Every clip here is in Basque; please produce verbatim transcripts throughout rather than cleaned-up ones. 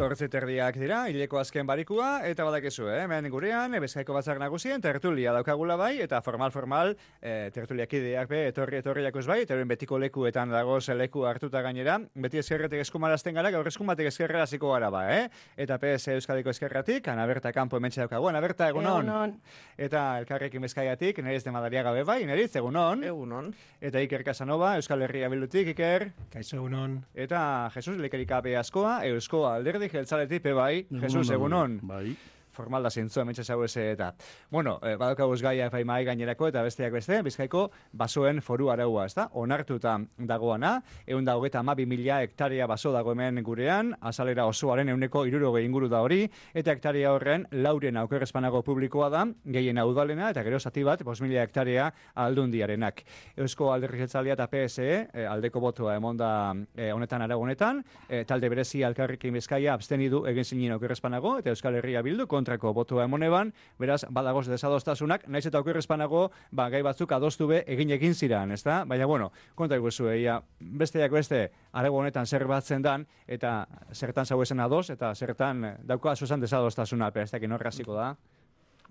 Zortzi terdiak dira, hileko azken barikua, eta badakizu, eh? Hemen gurean, Bizkaiko batzar nagusien, tertulia daukagula bai, eta formal-formal, eh, tertuliak ideak be, etorri etorri jakuz bai, eta betiko lekuetan dagoz leku hartuta gainera, beti eskerretik eskumarazten gara, gaur eskumatik eskerrera ziko gara ba, eh? Eta P S Euskadiko eskerratik, Anaberta kanpo hementxe daukagu, Anaberta, egunon. Egunon. Eta Elkarrekin Bizkaiatik, Neriz de Madariaga be bai, Neriz, egunon. Egunon. Eta Iker Casanova, Euskal Herria Bildutik, Iker. Kaixo, egunon. Eta Jesus Lekerikape askoa, Eusko Alderdi Jeltzaletik pe bai, Jesus, egunon. Bai. Formal da zintzua, mentxe zau eze eta. Bueno, eh, badaukaguz gaia epai mai gainerako eta besteak beste, Bizkaiko basoen foru araua, ez da? Onartuta dagoana, egun da hogeta ama bi mila hektarea baso dago hemen gurean, azalera osoaren euneko irurogei inguru da hori, eta hektaria horren lauren aukerrezpanago publikoa da, gehien udalena eta gero zati bat, bost mila hektarea aldundiarenak. Eusko Alderdi Jeltzalea eta P S E, eh, aldeko botoa emonda eh, honetan aragonetan, eh, talde berezi Elkarrekin Bizkaia abstenidu egin zinen aukerrezpanago, eta Euskal Herria Bildu kontrako botoa emoneban, beraz, badagoz desadostasunak, naiz eta aukerrezpanago, ba, gai batzuk adostu be egin egin ziran, ez da? Baina, bueno, konta iguzu, eia, besteak beste, arago honetan zer batzen dan, eta zertan zau esen ados, eta zertan dauko azuzan desadostasuna, pero ez dakin horraziko da.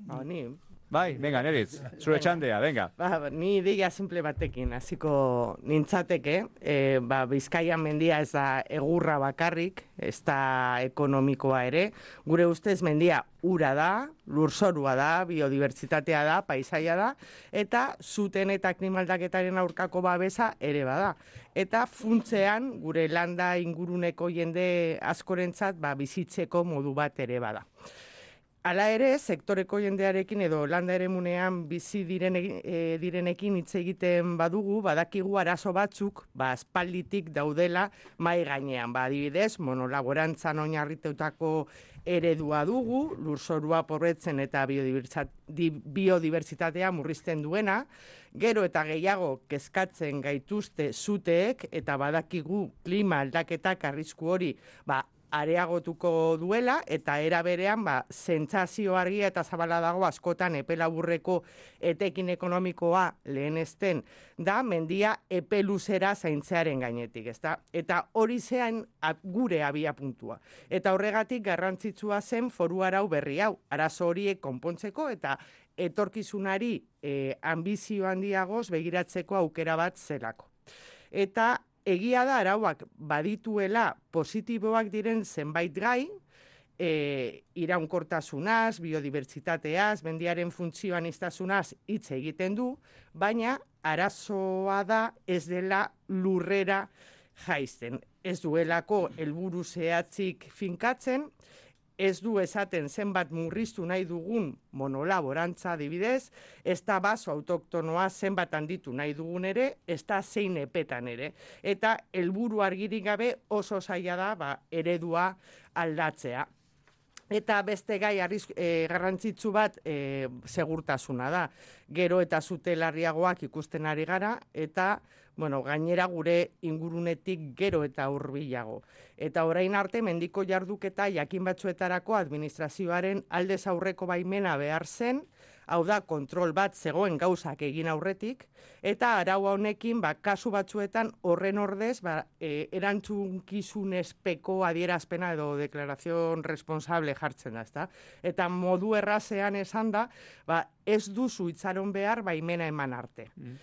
Ba, ni... Bai, venga, Neritz, zure txandea, venga. Ba, ni ideia simple batekin, hasiko nintzateke, e, ba, Bizkaian mendia ez da egurra bakarrik, ez da ekonomikoa ere, gure ustez mendia ura da, lurzorua da, biodibertsitatea da, paisaia da, eta zuten eta klimaldaketaren aurkako babesa ere bada. Eta funtzean, gure landa inguruneko jende askorentzat, ba, bizitzeko modu bat ere bada. Hala ere, sektoreko jendearekin edo landa eremunean bizi diren, e, direnekin hitz egiten badugu, badakigu arazo batzuk, ba, aspalditik daudela mai gainean. Ba, adibidez, monolaborantzan oinarritutako eredua dugu, lurzorua pobretzen eta biodibertsitatea murrizten duena, gero eta gehiago kezkatzen gaituzte zuteek, eta badakigu klima aldaketak arrisku hori, ba, areagotuko duela, eta era berean, ba, sentsazio argia eta zabala dago askotan epe laburreko etekin ekonomikoa lehenesten da, mendia epe luzera zaintzearen gainetik, ezta? Eta hori zean gure abia puntua. Eta horregatik garrantzitsua zen foru arau berri hau, arazo horiek konpontzeko eta etorkizunari e, ambizio handiagoz begiratzeko aukera bat zelako. Eta egia da arauak badituela positiboak diren zenbait gai, e, iraunkortasunaz, biodibertsitateaz, mendiaren funtzioan iztasunaz hitz egiten du, baina arazoa da ez dela lurrera jaisten. Ez duelako helburu zehatzik finkatzen, ez du esaten zenbat murriztu nahi dugun monolaborantza adibidez, ez da baso autoktonoa zenbat handitu nahi dugun ere, ez da zein epetan ere. Eta helburu argirik gabe oso zaila da ba, eredua aldatzea. Eta beste gai arriz, e, garrantzitsu bat e, segurtasuna da. Gero eta zute larriagoak ikusten ari gara, eta bueno, gainera gure ingurunetik gero eta hurbilago. Eta orain arte mendiko jarduketa jakin batzuetarako administrazioaren aldez aurreko baimena behar zen, hau da kontrol bat zegoen gauzak egin aurretik, eta araua honekin ba, kasu batzuetan horren ordez ba, e, erantzunkizunezpeko adierazpena edo deklarazion responsable jartzen da, ezta? Eta modu errazean esan da, ba, ez duzu itzaron behar baimena eman arte. Mm.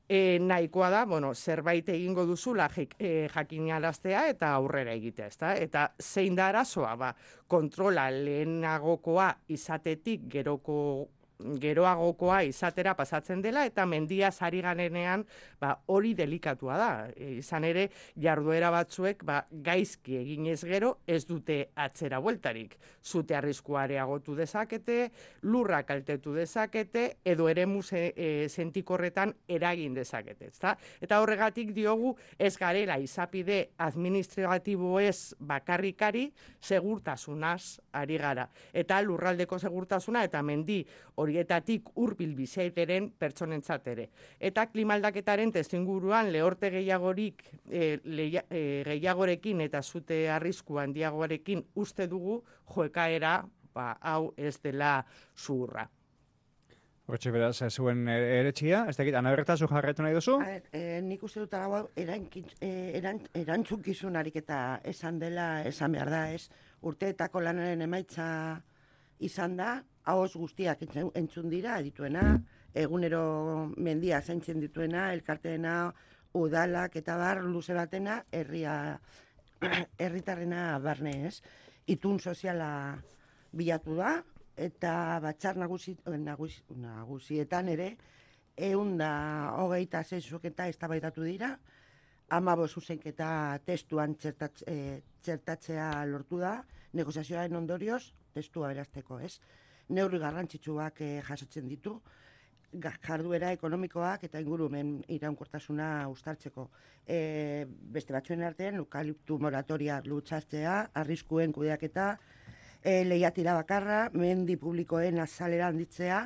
E, nahikoa da, bueno, zerbait egingo duzula e, jakinaraztea eta aurrera egitea, ezta? Eta zein da arazoa, ba, kontrola lehenagokoa izatetik geroko geroagokoa izatera pasatzen dela eta mendia sari ganenean ba, hori delikatua da. E, izan ere, jarduera batzuek ba, gaizki eginez gero ez dute atzera bueltarik. Zute arriskua areagotu dezakete, lurra kaltetu dezakete, edo eremu e, sentikorretan eragin dezakete. Ezta? Eta horregatik diogu ez garela izapide administratibo ez bakarrikari segurtasunaz ari gara. Eta lurraldeko segurtasuna eta mendi horietatik hurbil biziaren pertsonentzat ere. Eta klimaldaketaren testuinguruan lehorte gehiagorik e, leia, e, gehiagorekin eta zute arrisku handiagoarekin uste dugu joekaera ba, hau ez dela zuhurra. Hortxe beraz, zuen eretxia, ez dakit, Anaberta, zu jarretu nahi duzu? A, e, nik uste dut hau erantzunkizunarik eta esan dela, esan behar da, ez, urteetako lanaren emaitza izan da, ahoz guztiak entzun dira, dituena, egunero mendia zaintzen dituena, elkarteena, udalak eta bar luze batena, herria, herritarrena barne ez. Itun soziala bilatu da, eta batzar nagusi, nagusi, nagusietan ere, ehun da hogeita zeizuketa eztabaidatu dira, hamabost zuzenketa testuan txertatze, e, txertatzea lortu da, negoziazioaren ondorioz, testua berazteko, ez? Neurri garrantzitsuak e, jasotzen ditu, jarduera ekonomikoak eta ingurumen iraunkortasuna uztartzeko. E, beste batzuen artean, eukaliptu moratoria lutsatzea, arriskuen kudeaketa, e, lehiatira bakarra, mendi publikoen azalera handitzea,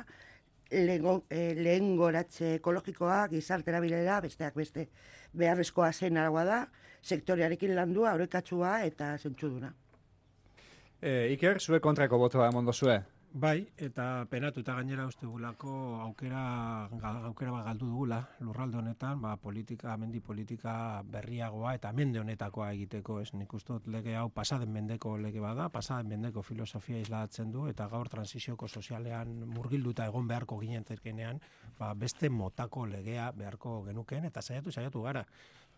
lehen goratze ekologikoa, gizartera bilera, besteak beste beharrezkoa zen aragoa da, sektorearekin landua, aurrekatsua eta zentsuduna. E, Iker, zue kontrako botoa emon dozue? Bai, eta penatuta gainera uste gulako aukera, aukera bat galdu dugula, lurralde honetan, ba, politika, mendi politika berriagoa eta mende honetakoa egiteko, ez nik uste dut lege hau pasaden mendeko lege bada, pasaden mendeko filosofia islatzen du, eta gaur transizioko sozialean murgilduta egon beharko ginen zerkenean, ba, beste motako legea beharko genuken, eta saiatu, saiatu gara.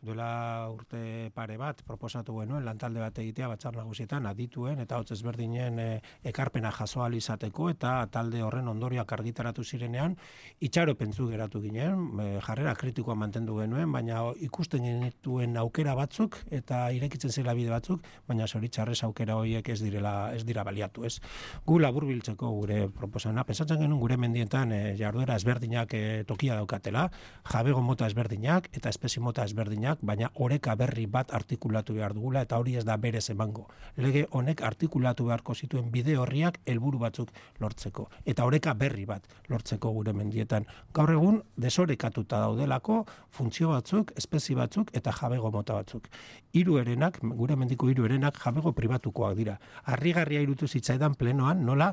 Duela urte pare bat proposatu genuen lantalde bat egitea batzar nagusietan adituen eta hotz ezberdinen e, ekarpena jaso ahal izateko eta talde horren ondorioak argitaratu zirenean itxaropentzu geratu ginen, e, jarrera kritikoa mantendu genuen, baina ikusten genituen aukera batzuk eta irekitzen zela bide batzuk, baina zoritxarrez aukera horiek ez direla ez dira baliatu, ez. Gu laburbiltzeko gure proposamena, pentsatzen genuen gure mendietan e, jarduera ezberdinak e, tokia daukatela, jabego mota ezberdinak eta espezie mota ezberdinak, baina oreka berri bat artikulatu behar dugula eta hori ez da berez emango. Lege honek artikulatu beharko zituen bide horriak helburu batzuk lortzeko eta oreka berri bat lortzeko gure mendietan. Gaur egun desorekatuta daudelako funtzio batzuk, espezie batzuk eta jabego mota batzuk. Hiru herenak, gure mendiko hiru herenak jabego pribatukoak dira. Harrigarria irutu zitzaidan plenoan nola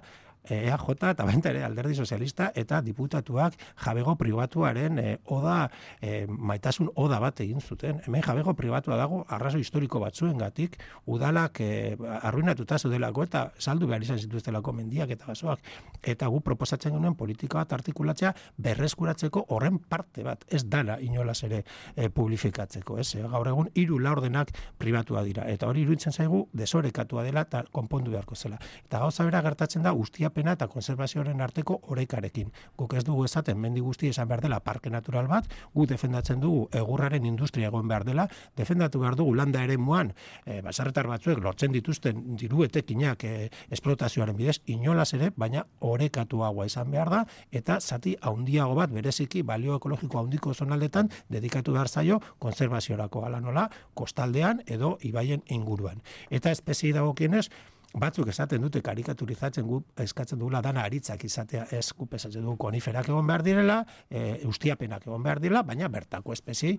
E A J eta baita ere Alderdi Sozialista eta diputatuak jabego pribatuaren e, oda, e, maitasun oda bat egin zuten. Hemen jabego pribatua dago arrazo historiko batzuengatik udalak e, arruinatuta zeudelako eta saldu behar izan zituztelako mendiak eta basoak. Eta gu proposatzen genuen politika bat artikulatzea berreskuratzeko horren parte bat, ez dala inolaz ere e, publifikatzeko. Ez? E, gaur egun hiru laurdenak pribatua dira eta hori iruditzen zaigu desorekatua dela eta konpondu beharko zela. Eta gauza bera gertatzen da guztia pena eta konservazioaren arteko orekarekin. Guk ez dugu esaten mendi guzti esan behar dela parke natural bat, gu defendatzen dugu egurraren industria egon behar dela, defendatu behar dugu landa eremuan, e, baserritar batzuek lortzen dituzten diru etekinak e, esplotazioaren bidez, inolaz ere, baina orekatuagoa izan behar da, eta zati handiago bat bereziki balio ekologiko handiko zonaldetan dedikatu behar zaio konservaziorako ala nola, kostaldean edo ibaien inguruan. Eta espezie dagokienez, batzuk esaten dute karikaturizatzen gu eskatzen dugula dana aritzak izatea, ez gu pesatzen dugu koniferak egon behar direla, e, ustiapenak egon behar direla, baina bertako espeziei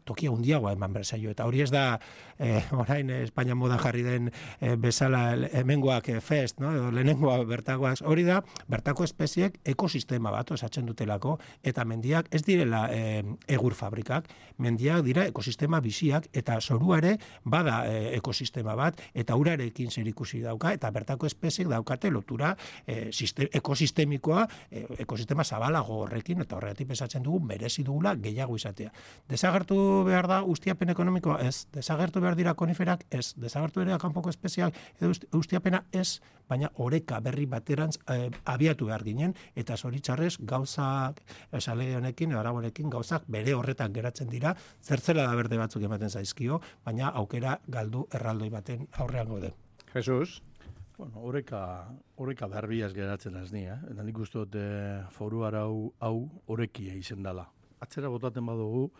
tokia handiagoa eman berzaio eta hori ez da eh, orain Espainia moda jarri den eh, bezala hemengoak eh, fest, no? Edo lehenengoa bertakoak, hori da bertako espeziek ekosistema bat osatzen dutelako eta mendiak ez direla eh, egur fabrikak, mendiak dira ekosistema biziak eta zorua ere bada eh, ekosistema bat eta urarekin zerikusi dauka eta bertako espeziek daukate lotura eh, sistem, ekosistemikoa eh, ekosistema zabalago horrekin eta horregatik pesatzen dugu merezi dugula gehiago izatea. Desagertu behar da ustiapen ekonomikoa ez, desagertu behar dira koniferak ez, desagertu ere kanpoko espeziak edo ustiapena ez, baina oreka berri baterantz eh, abiatu behar ginen eta zoritxarrez gauzak, esalege honekin, arabonekin gauzak bere horretan geratzen dira, zertzela da berde batzuk ematen zaizkio, baina aukera galdu erraldoi baten aurrean gode. Jesus? Bueno, oreka, oreka berbiaz geratzen ez ni, eh? Eta nik uste dut eh, foru arau hau orekia izen dela. Atzera botaten badugu,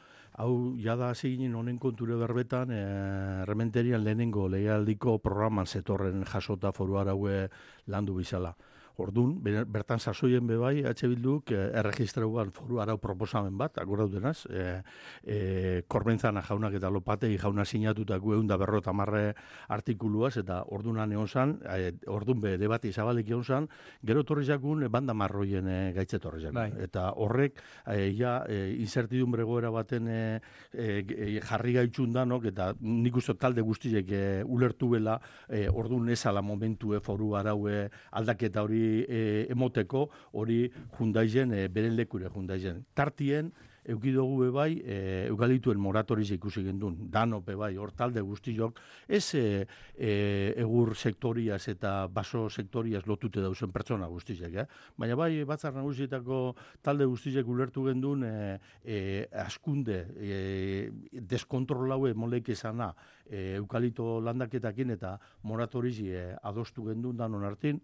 hau jada hasi ginen honen konture berbetan, eh, Errementerian lehenengo legealdiko programan zetorren jasota foru araue landu bizala. Ordun, bertan sasoien bebai, H Bilduk eh, erregistrauan foru arau proposamen bat, akordaudenaz, eh, eh, Korbenzana jaunak eta Lopategi jauna sinatutako egun da berrota marre artikuluaz, eta ordunan egon zan, eh, ordun be debati zabalik egon zan, gero torri jakun banda marroien eh, gaitze torri jakun. Bai. Eta horrek, eh, ja, eh, incertidumbre goera baten eh, eh, jarri gaitxun danok, eta nik uste talde guztiek eh, ulertu bela, eh, ordun ezala momentu eh, foru araue aldaketa hori E, emoteko hori jundaizen, e, beren lekure jundaizen. Tartien, eukidogu bebai, e, eukalituen moratoriz ikusi gendun, danope bai, hor talde guztiok, ez e, e, egur sektoriaz eta baso sektoriaz lotute dauzen pertsona guztizek, eh? Baina bai, batzar nagusietako talde guztizek ulertu gendun, e, e, askunde, e, deskontrolaue moleik esana, e, eukalito landaketakin eta moratoriz e, adostu gendun danon hartin,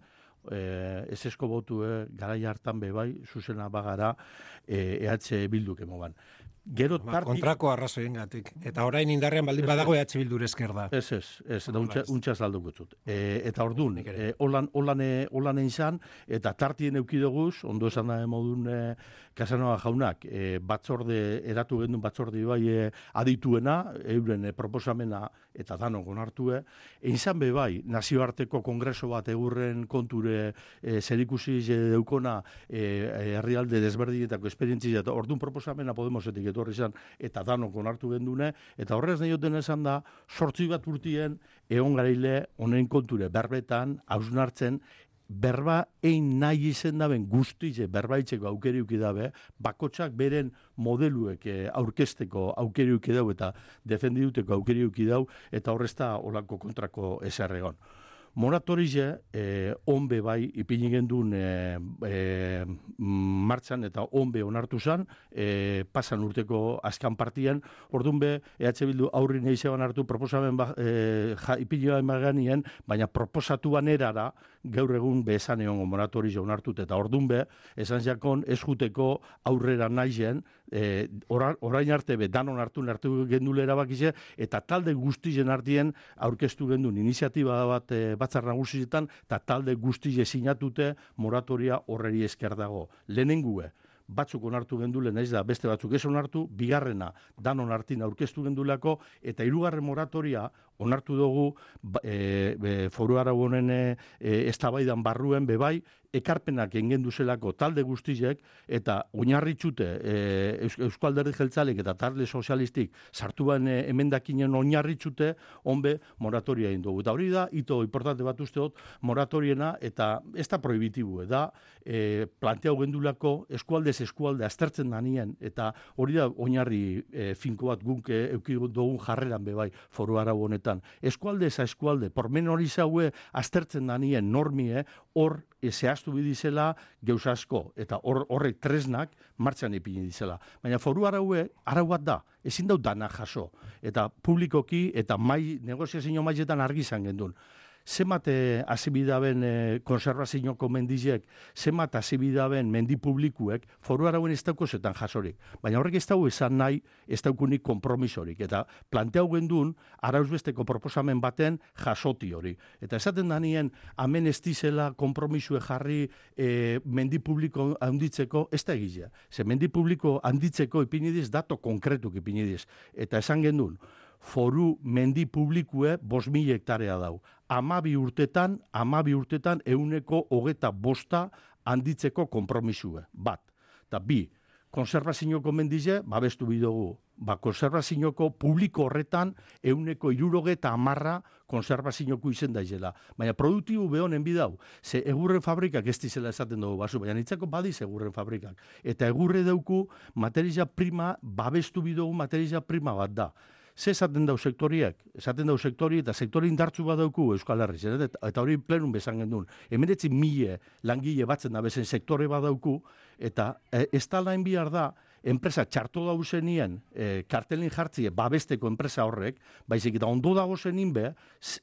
Eh, ez esko botu eh, garai hartan be bai, zuzena bagara eh, E H Bilduk emoban. Gero ba, tarti... kontrako arrazoiengatik. Eta orain indarrean baldin badago E H Bildur esker da. Ez, ez, ez, da untxa, untxa salduko zut. E, eta ordun, e, holan, holan, holan izan, eta tartien eukidoguz, ondo esan da modun e, Casanova jaunak, e, batzorde, eratu gendun batzorde bai e, adituena, euren e, proposamena eta danok onartue, izan be bai, nazioarteko kongreso bat egurren konture e, zerikusi deukona e, herrialde desberdinetako esperientzia, eta ordun proposamena Podemosetik etorri izan, eta danok onartu gendune, eta horrez nahi duten esan da, sortzi bat urtien, egon gareile honen konture berbetan, hausnartzen, berba ein nahi izen daben guztize berbaitzeko aukeriuki dabe, bakotsak beren modeluek eh, aurkesteko aukeriuki dau eta defendiduteko aukeriuki dau, eta horrezta olako kontrako eserregon. Moratorize, eh, onbe bai, ipini gendun eh, eh, martxan eta onbe onartu zan, eh, pasan urteko azkan partien, orduan be, E H Bildu aurri nahi zeban hartu proposamen ba, eh, ja, ipini baganien, baina proposatu banerara, gaur egun be esan egon moratorize onartut, eta orduan be, esan jakon ez juteko aurrera nahi zen, E, orain arte be danon hartu hartu gendule erabakize, eta talde guztien artien aurkeztu gendun iniziatiba bat e, batzar nagusietan, eta talde guztie sinatute moratoria horreri esker dago. Lehenengue, batzuk onartu gendule, naiz da beste batzuk ez onartu, bigarrena danon hartin aurkeztu gendulako, eta hirugarren moratoria onartu dugu e, e, foru arau honen e, eztabaidan barruen bebai, ekarpenak engen duzelako talde guztiek, eta oinarritxute e, Eusko Alderdi Jeltzalek eta talde sozialistik sartu bain e, emendakinen oinarritxute, onbe moratoria egin dugu. Eta hori da, ito importante bat usteot, moratoriena, eta ez da prohibitibu, da e, planteau gendulako eskualdez eskualde aztertzen danien, eta hori da oinarri e, finko bat guk e, eukidu dugun jarreran bebai foru arau honetan. Eskualde eza eskualde, pormenori zaue aztertzen danien normie, hor e, zehaztu bidizela geuz asko, eta hor, horrek tresnak martxan ipini dizela. Baina foru araue, arau bat da, ezin dau dana jaso, eta publikoki eta mai, negoziazio mailetan argi izan gendun. Zemat azibidaben e, konservazioko mendizek, zemat azibidaben mendi publikuek, foru arauen ez dauko zetan jasorik. Baina horrek ez dago esan nahi, ez daukunik kompromisorik. Eta planteau gendun, arauzbesteko proposamen baten jasoti hori. Eta esaten danien, amen ez dizela kompromisue jarri e, mendi publiko handitzeko, ez da egizia. Ze mendi publiko handitzeko ipinidiz, dato konkretuk ipinidiz. Eta esan gendun, foru mendi publikue bost mila hektarea dau. Amabi urtetan, amabi urtetan euneko hogeta bosta handitzeko konpromisue. Bat. Eta bi, konservazioko mendize, babestu bidugu. Ba, konservazioko publiko horretan euneko irurogeta amarra konservazioko izen daizela. Baina produktibu behonen bidau. Ze egurren fabrikak ez dizela esaten dugu basu, baina nitzako badiz egurren fabrikak. Eta egurre dauku materia prima, babestu bidugu materia prima bat da. Ze esaten dau sektoriak, esaten dau sektori eta sektori indartzu bat dauku Euskal Herri, eta, eta hori plenun bezan gendun. Hemeretzi mile langile batzen da bezen sektore bat dauku, eta e, ez da lain bihar da, enpresa txarto dauzenien e, kartelin jartzie babesteko enpresa horrek, baizik eta ondo dago zenin be,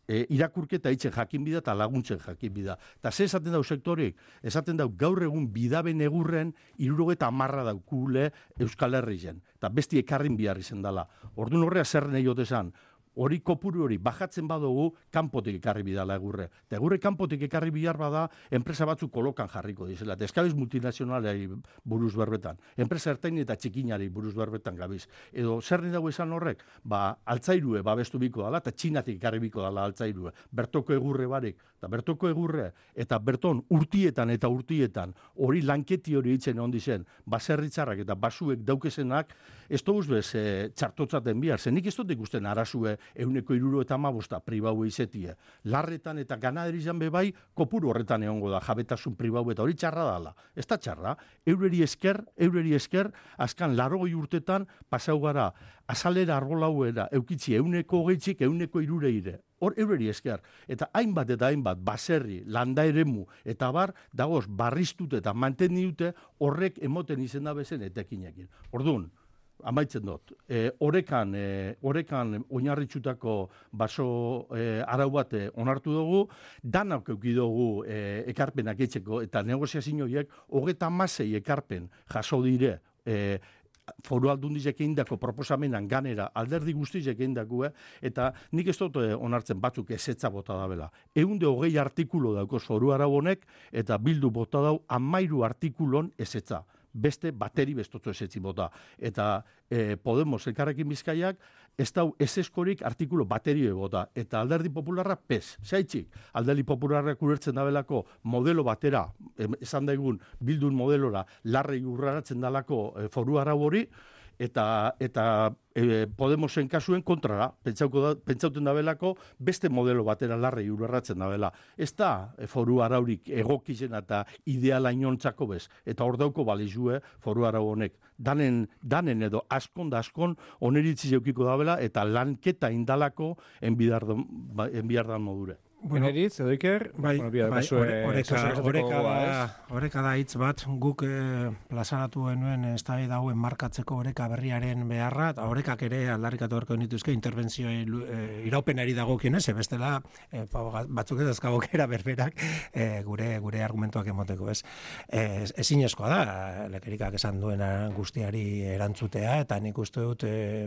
e, irakurketa itzen jakin bida eta laguntzen jakin bida. Eta ze esaten dau sektorik, esaten dau gaur egun bidaben egurren irurogeta amarra daukule Euskal Herri zen. Eta besti ekarrin bihar izen dela. Orduan horrea zer nahi ote zan, hori kopuru hori bajatzen badugu kanpotik ekarri bidala egurre. Eta egurre kanpotik ekarri bihar bada enpresa batzuk kolokan jarriko dizela. Eta eskabiz multinazionalei buruz berbetan. Enpresa ertain eta txikinari buruz berbetan gabiz. Edo zer dago esan horrek? Ba, altzairue babestu biko dala eta txinatik ekarri biko dala altzairue. Bertoko egurre barik. Eta bertoko egurre eta berton urtietan eta urtietan hori lanketi hori itzen ondi zen. Baserritzarrak eta basuek daukesenak ez doguz bez e, txartotzaten bihar. Zenik ez dut ikusten arazue euneko iruro eta amabosta pribau eizetie. Larretan eta ganaderizan bebai kopuru horretan egongo da jabetasun pribau eta hori txarra dala. Ez da txarra. Eureri esker, eureri esker, azkan larogoi urtetan pasau gara azalera arbolauera eukitzi euneko hogeitzik euneko irureire. Hor eureri esker. Eta hainbat eta hainbat baserri, landa eremu eta bar, dagoz barriztute eta mantenni dute horrek emoten izena bezen etekinekin. Orduan, amaitzen dut. E, orekan, e, orekan oinarritxutako baso e, arau bat onartu dugu, danak euki dugu e, ekarpenak etxeko eta negoziazioiek hogeta masei ekarpen jaso dire e, foru aldundizek egindako proposamenan ganera alderdi guztizek egindako, eta nik ez dut onartzen batzuk ezetza bota dabela. Eunde hogei artikulo daukoz foru arau honek, eta bildu bota dau amairu artikulon ezetza. Beste bateri bestotzo ezetzi bota. Eta e, Podemos elkarrekin Bizkaiak ez dau ezeskorik artikulo bateri bota. Eta alderdi popularra pez. Zaitzik, alderdi popularrak urertzen dabelako modelo batera, esan daigun bildun modelora, larrei urraratzen dalako e, foru arau hori, eta eta e, Podemosen kasuen kontrara, pentsauko da, pentsauten dabelako beste modelo batera larrei urratzen dabela. Ez da e, foru araurik egokizen eta ideala inontzako bez, eta hor dauko balizue foru arau honek. Danen, danen edo askon da askon oneritzi zeukiko dabela eta lanketa indalako enbiardan modure. Bueno, Eritz, edo Iker, bai, bueno, bia, bai, basue, oreka, oreka, da, da, oreka da hitz bat, guk eh, plazaratu genuen ez da dauen markatzeko oreka berriaren beharra, eta orekak ere aldarrikatu horko nituzke interbentzioa e, iraupenari dagokien ez, bestela e, batzuk ez azkabokera berberak e, gure gure argumentuak emoteko ez. E, ezinezkoa da, lekerikak esan duena guztiari erantzutea, eta nik uste dut e,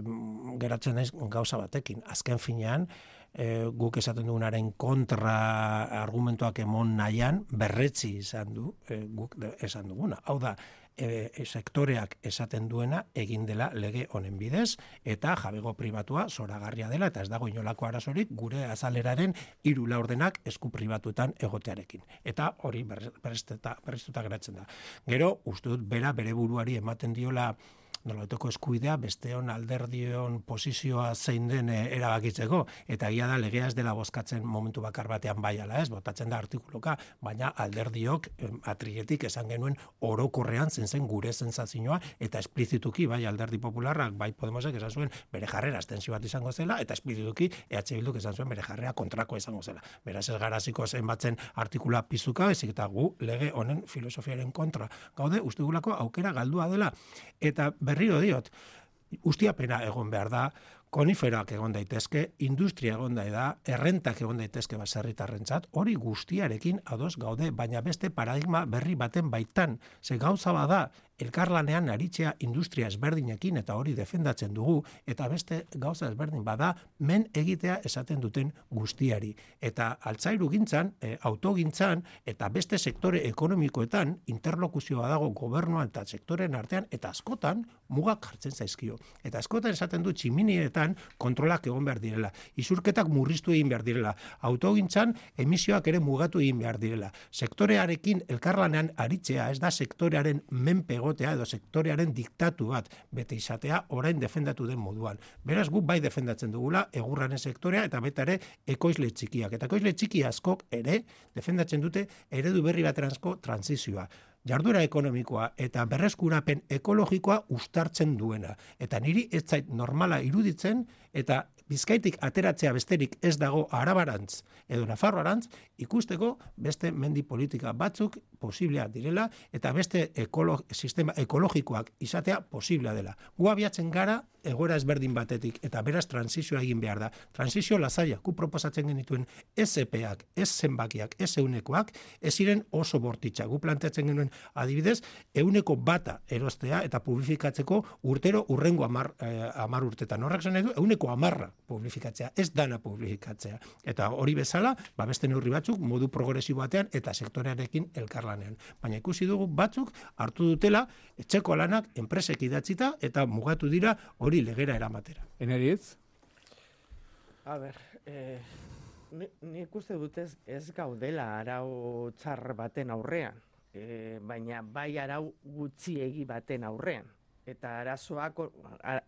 geratzen naiz gauza batekin, azken finean, E, guk esaten dugunaren kontra argumentuak emon nahian berretzi izan du e, guk esan duguna. Hau da, e, e, sektoreak esaten duena egin dela lege honen bidez eta jabego pribatua zoragarria dela eta ez dago inolako arazorik gure azaleraren hiru laurdenak esku pribatuetan egotearekin. Eta hori berriztuta geratzen da. Gero, uste dut bera bere buruari ematen diola nolabaiteko eskuidea besteon alderdion posizioa zein den erabakitzeko, eta egia da legea ez dela bozkatzen momentu bakar batean bai ala ez, botatzen da artikuluka, baina alderdiok atrietik esan genuen orokorrean zen zen gure sensazioa, eta esplizituki bai alderdi popularrak, bai Podemosek esan zuen bere jarrera abstentzio bat izango zela, eta esplizituki E H Bilduk esan zuen bere jarrera kontrakoa izango zela. Beraz ez garaziko zenbatzen artikula pizuka, ezik eta gu lege honen filosofiaren kontra gaude, uste gulako aukera galdua dela, eta berriro diot, ustiapena egon behar da, koniferak egon daitezke, industria egon da, errentak egon daitezke baserritarrentzat, hori guztiarekin ados gaude, baina beste paradigma berri baten baitan, ze gauza bada, elkarlanean aritzea industria ezberdinekin eta hori defendatzen dugu, eta beste gauza ezberdin bada, men egitea esaten duten guztiari. Eta altzairu gintzan, e, autogintzan, eta beste sektore ekonomikoetan, interlokuzioa dago gobernuan eta sektoren artean, eta askotan mugak jartzen zaizkio. Eta askotan esaten du tximinietan kontrolak egon behar direla, isurketak murriztu egin behar direla, autogintzan emisioak ere mugatu egin behar direla. Sektorearekin elkarlanean aritzea ez da sektorearen menpe egotea edo sektorearen diktatu bat bete izatea orain defendatu den moduan. Beraz guk bai defendatzen dugula egurraren sektorea eta beta ere ekoizle txikiak. Eta ekoizle txiki askok ere defendatzen dute eredu berri bateranzko transizioa. Jarduera ekonomikoa eta berreskurapen ekologikoa uztartzen duena. Eta niri ez zait normala iruditzen eta Bizkaitik ateratzea besterik ez dago Arabarantz edo Nafarroarantz ikusteko beste mendi politika batzuk posiblea direla eta beste ekolo, sistema ekologikoak izatea posiblea dela. Gu abiatzen gara egoera ezberdin batetik eta beraz transizioa egin behar da. Transizio lasaia, gu proposatzen genituen ez epeak, ez zenbakiak, ez eunekoak, ez ziren oso bortitza. Gu planteatzen genuen adibidez, euneko bata erostea eta publifikatzeko urtero urrengo amar, eh, amar urtetan. Horrek zen edu, euneko euneko hamarra publifikatzea, ez dana publifikatzea. Eta hori bezala, ba beste neurri batzuk modu progresibo batean eta sektorearekin elkarlanean. Baina ikusi dugu batzuk hartu dutela etxeko lanak enpresek idatzita eta mugatu dira hori legera eramatera. Eneritz? A ber, eh, nik uste dut ez, ez gaudela arau txar baten aurrean, e, baina bai arau gutxiegi baten aurrean. Eta arazoak,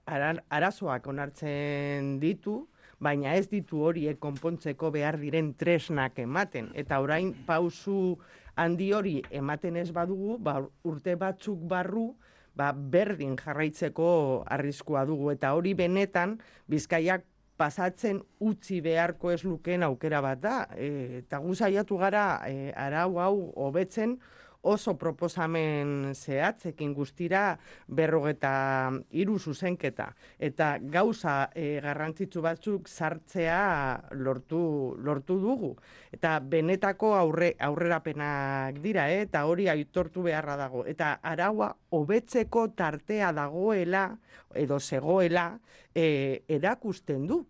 ara, arazoak onartzen ditu, baina ez ditu horiek konpontzeko behar diren tresnak ematen. Eta orain pausu handi hori ematen ez badugu, ba, urte batzuk barru, ba, berdin jarraitzeko arriskua dugu. Eta hori benetan, Bizkaiak pasatzen utzi beharko ez lukeen aukera bat da. E, eta gu saiatu gara e, arau hau hobetzen, oso proposamen zehatzekin guztira berrogeta hiru zuzenketa. Eta gauza e, garrantzitsu batzuk sartzea lortu, lortu dugu. Eta benetako aurre, aurrerapenak dira, eh? Eta hori aitortu beharra dago. Eta araua hobetzeko tartea dagoela, edo zegoela, e, erakusten du.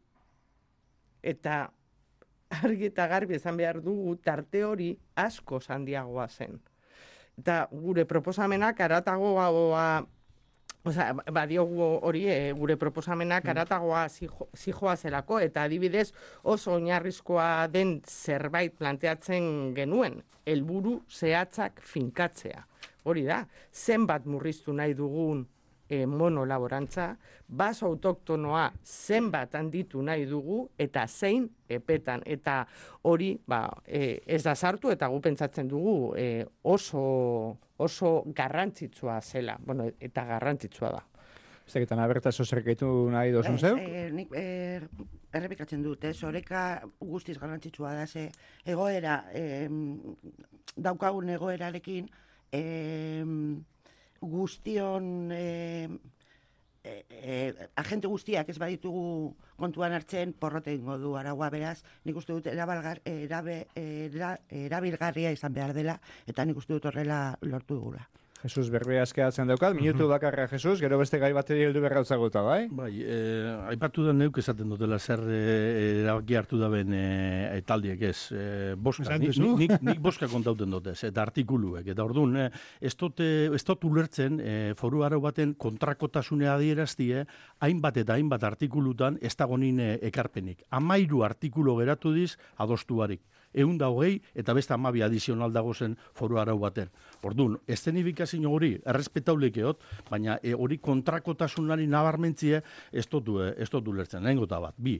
Eta argi eta garbi esan behar dugu tarte hori asko handiagoa zen. Eta gure proposamenak aratagoa, osea, badiogu hori, e, gure proposamenak aratagoa zijoa zelako, eta adibidez oso oinarrizkoa den zerbait planteatzen genuen, helburu zehatzak finkatzea. Hori da, zenbat murriztu nahi dugun e, monolaborantza, baso autoktonoa zenbat handitu nahi dugu, eta zein epetan. Eta hori ba, e, ez da sartu, eta gu pentsatzen dugu e, oso, oso garrantzitsua zela. Bueno, eta garrantzitsua da. Zeketan, aberta zozerkeitu nahi dozun zeu? E, nik e, errepikatzen dut, ez, oreka guztiz garrantzitsua da, ze egoera, e, daukagun egoerarekin, e, guztion e, e, e, agente guztiak ez baditugu kontuan hartzen porrote ingo du araua, beraz, nik uste dut erabalgar, erabe, era, erabilgarria izan behar dela, eta nik uste dut horrela lortu dugula. Jesus, berbea eskeatzen daukat, minutu bakarra, Jesus, gero beste gai bateri heldu berra utzaguta, bai? Bai, eh, aipatu da neuk esaten dutela zer eh, erabaki hartu da ben eh, taldiek ez. Eh, boska, nik, nik, nik boska kontauten dutez, eta artikuluek. Eta orduan, eh, ez dut ulertzen eh, foru arau baten kontrakotasunea adieraztie, hainbat eta hainbat artikulutan ez dago nine ekarpenik. Amairu artikulu geratu diz adostuarik. Egun da hogei eta beste amabi adizional dago zen foru arau baten. Orduan, estenifikazio hori errespetaulekeot, baina e, hori kontrakotasunari nabarmentzie ez dotu ez dotu lertzen. Lehengo eta bat, bi.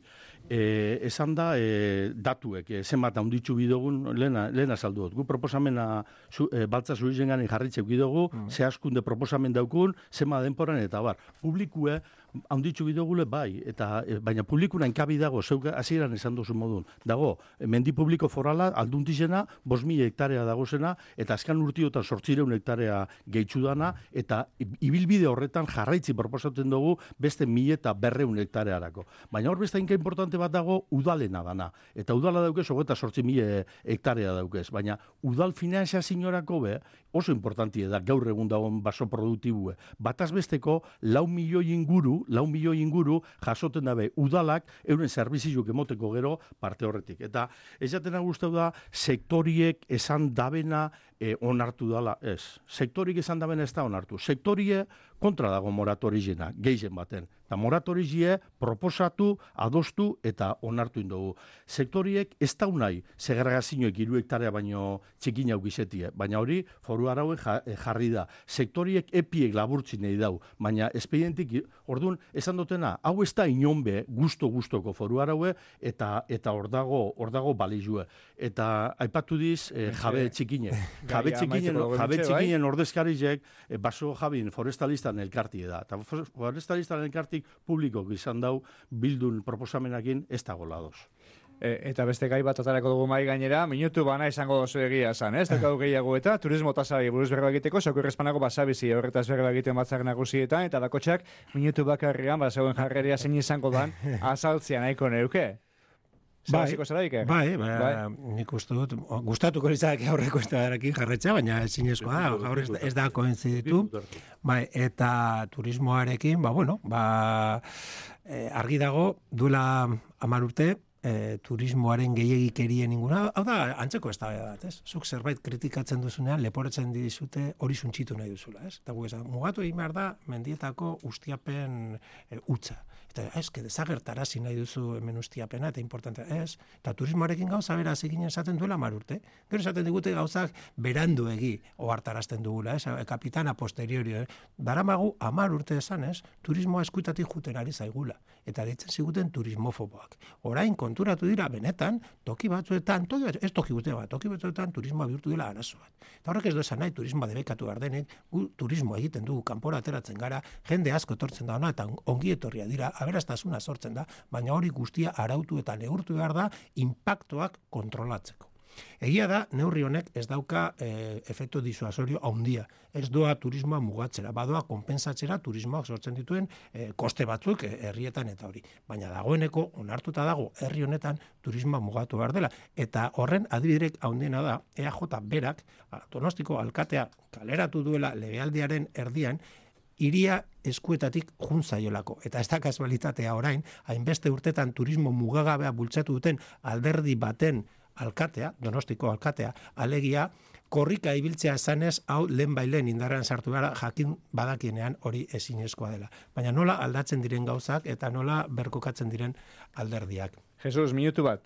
E, esan da e, datuek, e, zenbat handitzu bidogun, lehena, lehena saldu dut. Gu proposamena zu, e, baltza zuizen gani jarritzeu bidogu, mm. zehazkunde proposamen daukun, zema denporan eta bar. Publikue, handitzu bidogule bai, eta e, baina publikuna enkabi dago, zeuk hasieran esan duzu modun. Dago, mendi publiko forala alduntizena, bost mila hektarea dagozena, eta azkan urtiotan sortzireun hektarea gehitzu dana, eta ibilbide horretan jarraitzi proposatzen dugu beste mila eta berreun hektarearako. Baina hor beste inka importante bat dago udalena dana. Eta udala daukez, hogeita sortzi mila hektarea daukez. Baina udal finanziazioarako be, oso importantie da gaur egun dagoen baso produktibue. Bataz besteko, lau milioi inguru, lau milioi inguru jasoten dabe udalak euren zerbizioak emoteko gero parte horretik. Eta ez jatena guztau da, sektoriek esan dabena e, onartu dala, ez. Sektorik esan dabena ez da onartu. Sektorie kontra dago moratorizena, gehien baten. Eta moratorizie proposatu, adostu eta onartu indogu. Sektoriek ez da unai segregazioek hiru hektarea baino txikin hau gizetie. Baina hori foru arauen jarri da. Sektoriek epiek laburtzin nahi dau. Baina espedientik, orduan, esan dutena, hau ez da inonbe gusto-gustoko foru araue eta eta hor dago, hor dago balizue. Eta aipatu diz eh, jabe txikine. Jabe txikinen, jabe txikinen ordezkarizek eh, baso jabin forestalistan elkartie da. Eta forestalistan elkartik publiko izan dau bildun proposamenakin ez dago ladoz. E, eta beste gai bat atarako dugu mai gainera, minutu bana izango dozu egia esan, ez? Dekau gehiago eta turismo tasari buruz berba egiteko, Sokurrespanako basabizi horretaz berba egiten batzak nagusietan, eta bakotxak minutu bakarrian, basauen jarreria zein izango dan, azaltzea nahiko neuke. Bai, bai, bai, nik uste dut, gustatuko litzake aurreko eztabaidarekin jarraitzea, baina ezinezkoa da, gaur ez, ez da koinziditu. Bai, eta turismoarekin, ba, bueno, ba, eh, argi dago, duela hamar urte, e, turismoaren gehiagikerien inguna, hau da, antzeko eztabaida bat, ez? Zuk zerbait kritikatzen duzunean, leporatzen dizute hori suntxitu nahi duzula, ez? Eta gu esan, mugatu egin behar da, mendietako ustiapen e, utza. Eta ez, que desagertarazi nahi duzu hemen ustiapena, eta importantea, ez? Eta turismoarekin gauza bera egin esaten duela hamar urte. Gero esaten digute gauzak beranduegi ohartarazten dugula, ez? Kapitana posteriori, eh? Daramagu hamar urte esan, ez? Turismoa eskuitatik juten ari zaigula. Eta deitzen ziguten turismofoboak. Orain konturatu dira benetan, toki batzuetan, toki batzuetan, ez toki guztia bat, toki batzuetan turismoa bihurtu dela arazo bat. Eta horrek ez du esan nahi turismoa debekatu behar denik, gu turismoa egiten dugu, kanpora ateratzen gara, jende asko etortzen da ona, eta ongi etorria dira, aberastasuna sortzen da, baina hori guztia arautu eta neurtu behar da inpaktuak kontrolatzeko. Egia da, neurri honek ez dauka e, efektu disuasorio handia. Ez doa turismoa mugatzera, badoa konpensatzera turismoak sortzen dituen e, koste batzuk e, herrietan eta hori. Baina dagoeneko, onartuta dago, herri honetan turismoa mugatu behar dela. Eta horren adibiderek handiena da, E A J berak, Donostiko alkatea kaleratu duela legealdiaren erdian, hiria eskuetatik jun zaiolako. Eta ez da kasualitatea orain, hainbeste urtetan turismo mugagabea bultzatu duten alderdi baten alkatea, Donostiko alkatea, alegia, korrika ibiltzea esanez, hau lehen bailen indarrean sartu gara, jakin badakienean hori ezinezkoa dela. Baina nola aldatzen diren gauzak eta nola berkokatzen diren alderdiak. Jesus, minutu bat.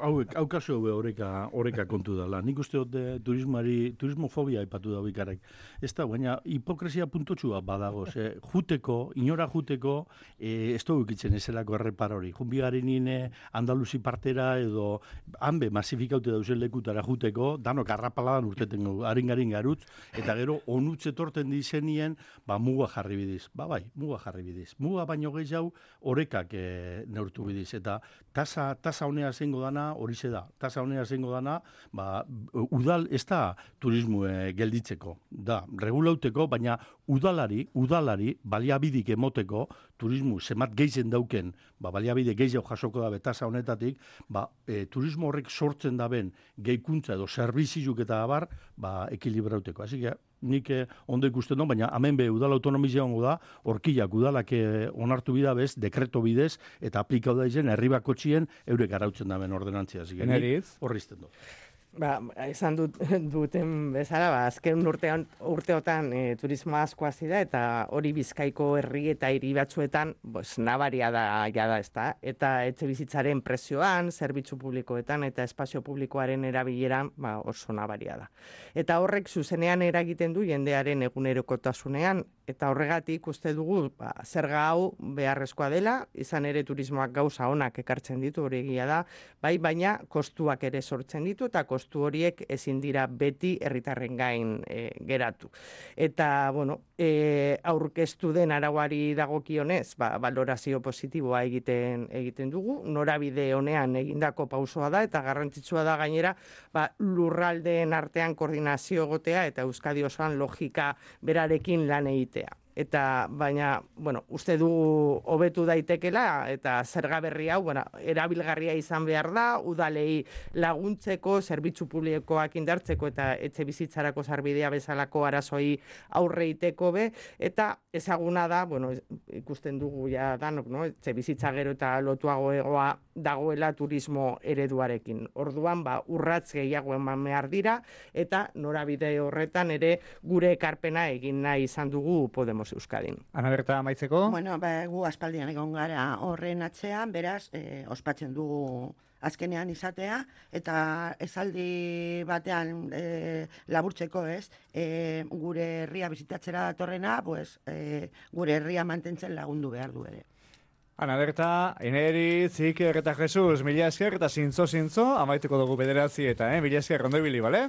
Hauek, hau kasu hau oreka, oreka kontu dela. Nik uste dut turismari, turismofobia ipatu da bikarek. Ez da, baina hipokresia puntotxua badago. Ze, juteko, inora juteko, e, ez dugu ikitzen ezelako errepar hori. Junbigari nine Andaluzi partera edo hanbe masifikaute dauzen lekutara juteko, danok arrapaladan urteten haringarin garutz, eta gero onutze torten dizenien, ba, muga jarri bidiz. Ba, bai, muga jarri bidiz. Muga baino gehiago orekak e, neurtu bidiz. Eta tasa tasa honea zengo dana horixe da. Tasa honea zengo dana, ba, udal ez da turismo e, gelditzeko. Da, regulauteko, baina udalari, udalari baliabidik emoteko turismo zemat geizen dauken, ba, baliabide gehiago jasoko dabe tasa honetatik, ba, e, turismo horrek sortzen daben gehikuntza edo zerbizizuk eta abar, ba, ekilibrauteko. Así que nik eh, ondo ikusten dut, baina hemen be udal autonomizia hongo da, horkilak udalak eh, onartu bida bez, dekreto bidez, eta aplikau da izen, herri bakotxien eurek arautzen daben ordenantzia. Eneriz? Horrizten dut. Ba, esan dut, duten bezala, ba, azken urtean, urteotan e, turismo asko hasi da, eta hori Bizkaiko herri eta hiri batzuetan pues, nabaria da, jada, ez da, eta etxe bizitzaren prezioan, zerbitzu publikoetan eta espazio publikoaren erabileran ba, oso nabaria da. Eta horrek zuzenean eragiten du jendearen egunerokotasunean, eta horregatik uste dugu ba, zerga hau beharrezkoa dela, izan ere turismoak gauza onak ekartzen ditu, hori egia da, bai, baina kostuak ere sortzen ditu, eta kostu horiek ezin dira beti herritarren gain e, geratu. Eta, bueno, e, aurkeztu den arauari dagokionez, ba, valorazio positiboa egiten egiten dugu, norabide honean egindako pausoa da, eta garrantzitsua da gainera, ba, lurraldeen artean koordinazio egotea, eta Euskadi osoan logika berarekin lan egitea. Eta, baina, bueno, uste dugu hobetu daitekela, eta zerga berri hau, bueno, erabilgarria izan behar da, udalei laguntzeko, zerbitzu publikoak indartzeko, eta etxe bizitzarako sarbidea bezalako arazoi aurre iteko be, eta ezaguna da, bueno, ikusten dugu ja danok, no? Etxe bizitza gero eta lotuago egoa dagoela turismo ereduarekin. Orduan, ba, urratz gehiago eman behar dira, eta norabide horretan ere gure ekarpena egin nahi izan dugu Podemos Euskadin. Ana Berta, amaitzeko? Bueno, ba, gu aspaldian egon gara horren atzean, beraz, eh, ospatzen dugu azkenean izatea, eta esaldi batean e, laburtzeko, ez, e, gure herria bizitatzera datorrena, pues, e, gure herria mantentzen lagundu behar du ere. Ana Berta, Eneri, Ziker eta Jesus, mila esker eta zintzo-zintzo, amaituko dugu bederatzi eta, eh, mila esker, ondo ibili, bale?